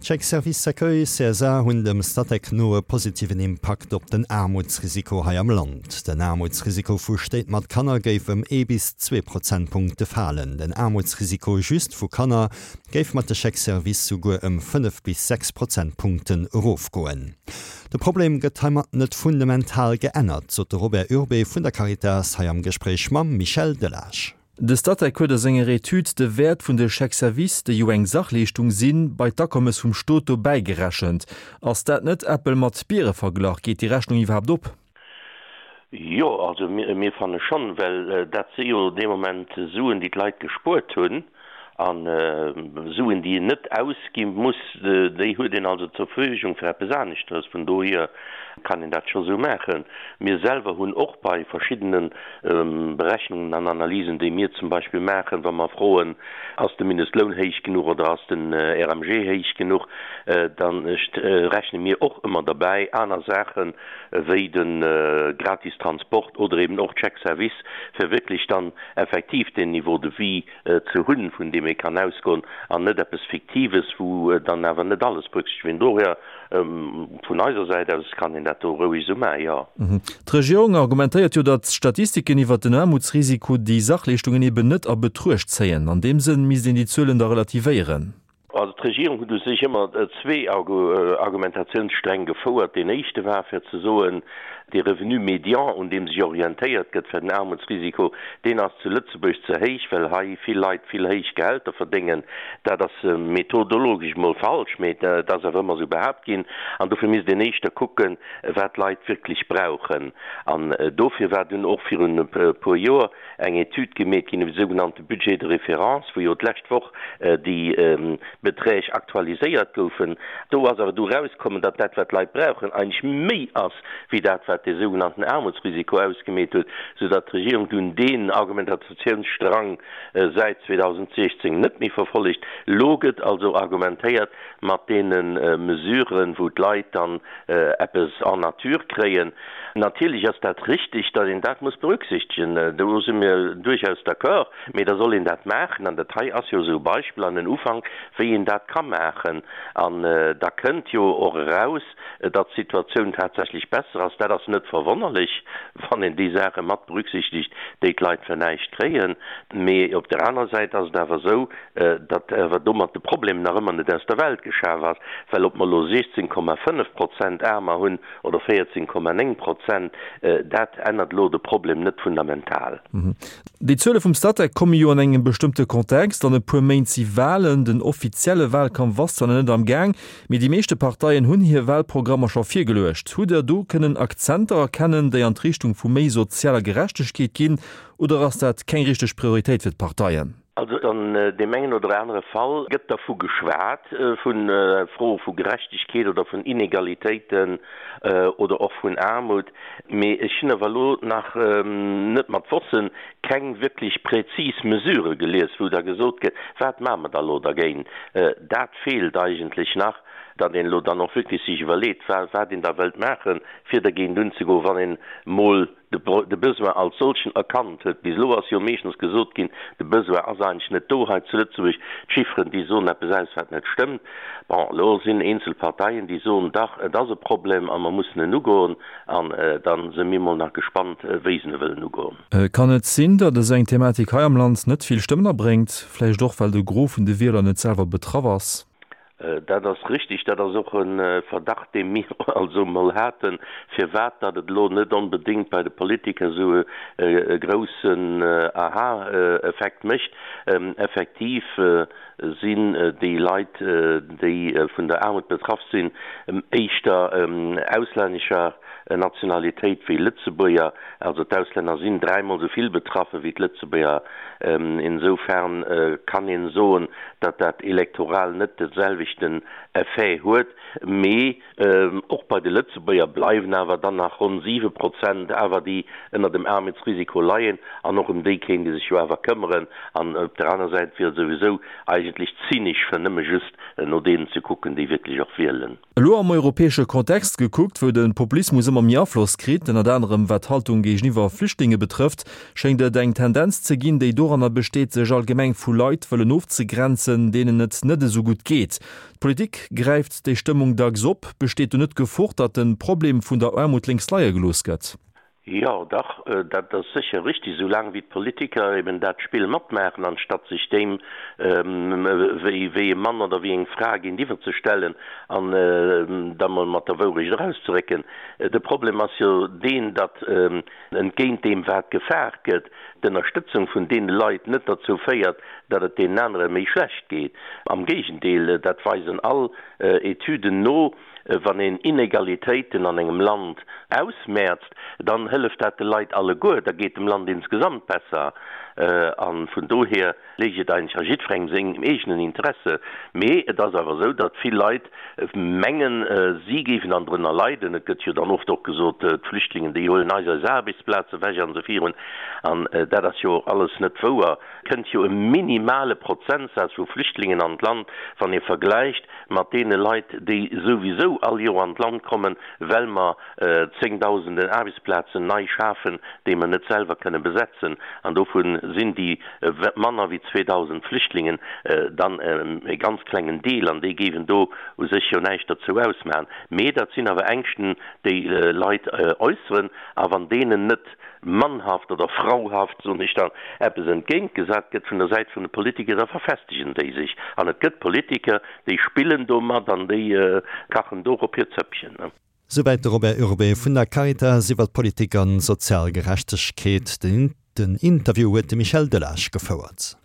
D'Chèques Services Accueil, CSA, hunn dem Statec no e positiven Impakt op den Aarmutsrisiko hei am Land. Den Aarmutsrisiko vu Stéit mat Kanner géif ëm ee bis zwee Prozentpunkte falen. Den Aarmutsrisiko just vu Kanner géif mat de Chèques Services souguer ëm 5 bis 6 Prozentpunkten erofgoen. De Problem gëtt heimat net fundamental geännert, sot de Robert Urbé vun der Caritas hei am Gespréich mam Michel Delage. De Statec huet a senger Etüd de Wäert vun de Chèques-services, déi jo eng Sachleeschtung sinn, bei d'Akommes vum Stot dobäi gerechent. Ass dat net Äppel mat Biere verglach? Geet déi Rechnung iwwerhaapt op? Jo, also mir fanne schonn, well dat si jo dee Moment Suen, déi d'Leit gespuert hunn. A Suen, déi een net ausgi muss, déi huet een also zur Verfügung fir eppes aneschteres. Vun dohier kann een dat scho sou maachen. Mir selwer hunn och bei verschiddene Berechnungen an Analysen, déi mir zum Beispill maachen, wa mer froen, Ass de Mindestloun héich genuch oder ass den RMG héich genuch, da rechne mir och ëmmer derbäi aner Saachen, wéi de gratis Transport oder eben och d'Chèques-services, fir wierklech dann effektiv deen Niveau de vie ze hunn, vun deem ee kann ausgoen, an net eppes Fiktives, wou dann awer net alles berücksichtegt wird. Dohier, vun eiser Säit aus, kann een dat do roueg esou maachen, jo. D'Regierung argumentéiert jo, datt d'Statistiken iwwert den Aarmutsrisiko déi Sachleeschtungen eben net a Betruecht zéien. An deem Sënn misst een déi Zuelen da relativéieren. Also d'Regierung huet u sech ëmmer zwee Argumentatiounssträng gefouert. Deen éischte war fir ze soen, dee Revenu médian, un deem sech orientéiert gëtt fir den Aarmutsrisiko, deen ass zu Lëtzebuerg ze héich, well hei vill Leit vill héich Gehälter verdéngen. Dat ass methodologesch emol falsch, mee et ass awer ëmmer esou behaapt ginn. An dofir misst een éischter kucken, wat d'Leit wierklech brauchen. An dofir war dunn och virun e puer Joer eng Etüd gemeet ginn iwwer de sougenannte Budget de référence, wou jo d'lescht Woch déi Beträg aktualiséiert goufen. Do ass awer du erauskommen, datt dat, wat d'Leit brauchen, eigentlech méi ass wéi dat, wat dee sougenannten Aarmutsrisiko ausgemeet huet, soudatt d'Regierung dunn deen Argumentatiounsstrang säit 2016 net méi verfollegt. Elo gëtt also argumentéiert mat deene Mesuren, wou d'Leit dann eppes en nature kréien. Natierlech ass dat richtig, datt een dat muss berücksichtegen, do si mir duerchaus d'accord, mee da soll een dat maachen. An dat hei ass jo esou e Beispill an en Ufank, wéi een dat ka maachen. An da kënnt jo och eraus, datt d'Situatioun tatsächlech besser ass. Dat ass net verwonnerlech, wann een déi Saache mat berücksichtegt, déi d'Leit fir näischt kréien. Mee op der anerer Säit ass et awer esou, datt awer domat de Problem nach ëmmer net aus der Welt geschaf ass, well ob mer elo 16,5 Prozent Aarmer hunn oder 14,9 Prozent, dat ännert elo de Problem net fundamental. Déi Zuele vum Statec komme jo an engem bestëmmte Kontext. An e puer Méint si Walen. Den offizielle Walkampf ass zwar nach net am Gaang, mee déi meeschte Parteien hunn hir Walprogrammer scho virgeluecht. Hutt Der do kënnen Akzenter erkennen, déi an d'Richtung vu méi sozialer Gerechtegkeet ginn, oder ass dat keng richteg Prioritéit fir d'Parteien? Also an deem engen oder anere Fall gëtt dervu geschwat, vu Froe vu Gerechtegkeet oder vun Inegalitéiten oder och vun Aarmut, mee ech hunn awer elo nach net mat Wossen keng wierklech präzis Mesure gelies, wou da gesot gëtt, wat maache mer da elo dergéint. Dat feelt eigentlech nach, datt een elo dann och wierklech sech iwwerleet, wat een da wëllt maachen, fir dergéint unzegoen, wann een emol de Besoin als solchen erkannt huet. Bis elo ass jo meeschtens gesot ginn, de Besoin ass eigentlech net do hei zu Lëtzebuerg, d'Chifferen, déi soen eppes aus, wat net stëmmt. Bon, elo sinn eenzel Parteien, déi soen, dach, et ass e Problem a mer mussen en ugoen. An da si mir mol nach gespannt, wéi se e wëllen ugoen. Kann et sinn, datt esou eng Thematik hei am Land net vill Stëmmen abréngt, vläicht och well de Gros vun de Wieler net selwer betraff ass? Dat ass richtig. Dat ass och e Verdacht, dee mir also emol haten, firwat datt et elo net onbedéngt bei de Politiker esou e groussen Aha-Effekt mécht. Effektiv sinn déi Leit, déi vun der Aarmut betraff sinn, éischter auslännescher Nationalitéit wéi Lëtzebuerger. Also d'Auslänner sinn dräimol esou vill betraffe wéi d'Lëtzebuerger. Insoufern kann een soen, datt dat elektoral net de selwechten Effet huet. Mee och bei de Lëtzebuerger bleiwen awer dann nach ronn 7 Prozent awer, déi ënner dem Aarmutsrisiko leien. An och ëm déi kéint ee sech jo awer këmmeren. An op der aner Säit wier et souwisou eigentlech zynesch, fir nëmme just no deenen ze kucken, déi wierklech och wielen. Elo am europäesche Kontext gekuckt, wou de Populismus ëmmer. ëmmer méi Afloss kritt, ënnert anerem wat d'Haltung géigeniwwer Flüchtlinge betrëfft, schéngt et eng Tendenz ze ginn, déi doranner besteet, sech allgemeng vu Leit wëllen ofzegrenzen, deenen et net esou gutt geet. D'Politik gräift déi Stëmmung dacks op. Besteet do net d'Gefor, datt de Problem vun der Aarmut lénks leie gelooss gëtt? Jo, dach, dat ass sécher richtig, esou laang wéi d'Politiker eben dat Spill matmaachen, anstatt sech deem wéi e Mann oder wéi eng Fra géintiwwer ze stellen an da mol mat der Wourecht erauszerécken. De Problem ass jo deen, datt entgéint deem wat gefaart gëtt, d'Ënnerstëtzung vun deene Leit net derzou féiert, datt et deenen anere méi schlecht geet. Am Géigendeel, dat weisen all Etüden no, Wann een Inegalitéiten an engem Land ausmäerzt, dann hëlleft dat de Leit alleguer, da geet dem Land insgesamt besser. A vun dohier léich et eigentlech a jiddwerengem sengem eegenen Interesse. Mee et ass awer esou, datt vill Leit mengen, si géifen dann drënner leiden. Et gëtt jo dann oft och gesot, d'Flüchtlingen, déi huelen eis eis Aarbechtsplaze ewech an esou virun. An dat ass jo och alles net wouer. Kënnt jo e minimale Prozentsaz vu Flüchtlingen an d'Land, wann ee vergläicht mat deene Leit, déi souwisou all Joer an d'Land kommen, well mer zéngdausenden Aarbechtsplazen nei schafen, déi mer net selwer kënne besetzen, an dovu sinn déi manner wéi 2.000 Flüchtlingen dann e ganz klengen Deel, an déi géiwen do u sech jo näischt derzou ausmachen. Mee dat sinn awer Ängschten, déi Leit äusseren, a wann deenen net mannhaft oder frauhaft, soen ech dann, eppes entgéintgesat gëtt vun der Säit vun de Politiker, da verfestegen déi sech. An et gëtt Politiker, déi spillen domat an déi kachen dorop hiert Zëppchen. Souwäit de Robert Urbé vun der Caritas iwwer d'Politik an sozial Gerechtegkeet. Den Interview huet de Michel Delage gefouert.